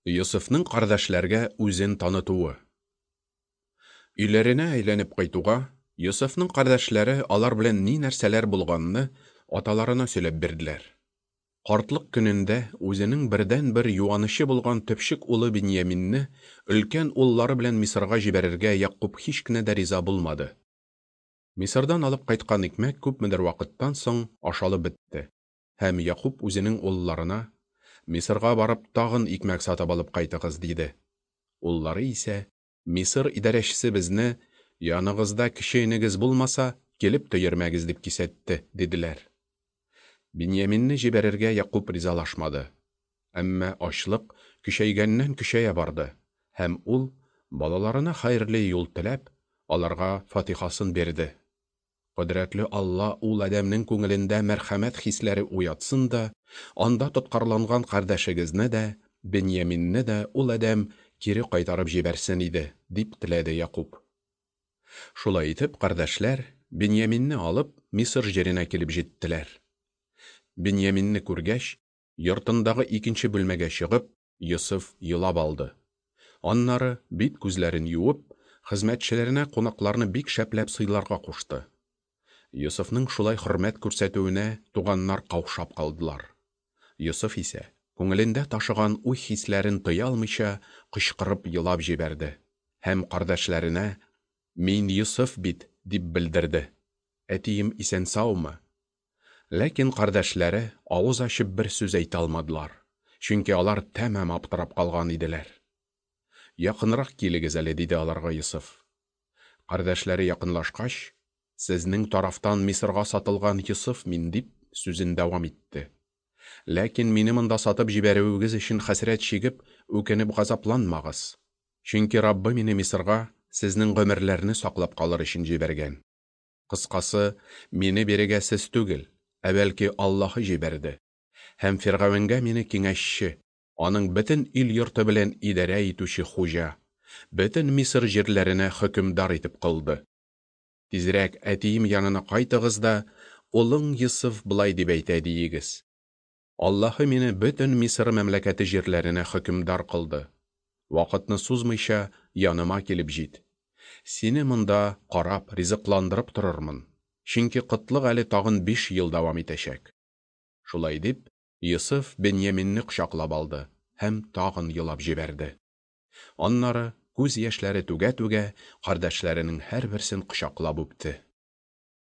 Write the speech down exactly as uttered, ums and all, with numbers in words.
Йосыфның кардәшләргә үзен танытуы. Өйләренә әйләнеп кайтуга, Йосыфның кардәшләре алар белән ни нәрсәләр булганны аталарына сөйләп бирделәр. Картлык көнендә үзенең бердәнбер юанычы булган төпчек улы Беньяминне өлкән уллары белән Мисырга җибәрергә Якуб һич кенә дә риза булмады. Мисырдан алып кайткан икмәк күпмедер вакыттан соң ашалып бетте. Һәм Якуб үзенең улларына: "Мисырга барып тагын икмәк сатып алып кайтыгыз", диде. Уллары исә: "Мисыр идарәчесе безне, яныгызда кече энегез булмаса, килеп тә йөрмәгез, дип кисәтте", диделәр. Беньяминне җибәрергә Якуб ризалашмады. Әмма ачлык көчәйгәннән көчәя барды, һәм ул, балаларына хәерле юл теләп, аларга фатихасын бирде. Кодрәтле Алла ул адәмнең күңелендә мәрхәмәт хисләре уятсын да, анда тоткарланган кардәшегезне дә, Беньяминне дә ул адәм кире кайтарып җибәрсен иде, дип теләде Якуб. Шулай итеп, кардәшләр Беньяминне алып, Мисыр җиренә килеп җиттеләр. Беньяминне күргәч, йортындагы икенче бүлмәгә чыгып, Йосыф елап алды. Аннары бит күзләрен юып, хезмәтчеләренә кунакларны бик шәпләп сыйларга кушты. Йосыфның шулай хөрмәт күрсәтүенә туганнар каушап калдылар. Йосыф исә, күңелендә ташыган уй хисләрен тыя алмыйча, кычкырып елап җибәрде һәм кардәшләренә: "Мин Йосыф бит", дип белдерде. "Әтием исән-саумы?" Ләкин кардәшләре авыз ачып бер сүз әйтә алмадылар, чөнки алар тәмам аптырап калган иделәр. "Якынрак килегез әле", диде аларга Йосыф. Кардәшләре якынлашкач: "Сезнең тарафтан Мисырга сатылган Йосыф мин", дип сүзен дәвам итте. "Ләкин мине монда сатып җибәрүегез өчен хәсрәт чигеп, үкенеп газапланмагыз. Чөнки Раббы мине Мисырга сезнең гомерләрне саклап калыр өчен җибәргән. Кыскасы, мине бирегә сез түгел, ә бәлки Аллаһы җибәрде. Һәм Фиргавенгә мине киңәшче, аның бөтен ил йорты белән идарә итүче хуҗа, бөтен Мисыр җирләренә хөкемдар итеп кылды. Тизрәк әтием янына кайтыгыз да, улың Йосыф былай дип әйтә диегез: Аллаһы мине бөтен Мисыр мәмләкәте җирләренә хөкемдар кылды. Вакытны сузмыйча яныма килеп җит. Сине монда карап, ризыкландырып торырмын. Чөнки кытлык әле тагын биш ел дәвам итәчәк." Шулай дип, Йосыф Беньяминне кочаклап алды һәм тагын елап җибәрде. Аннары күз яшьләре түгә-түгә кардәшләренең һәрберсен кочаклап үпте.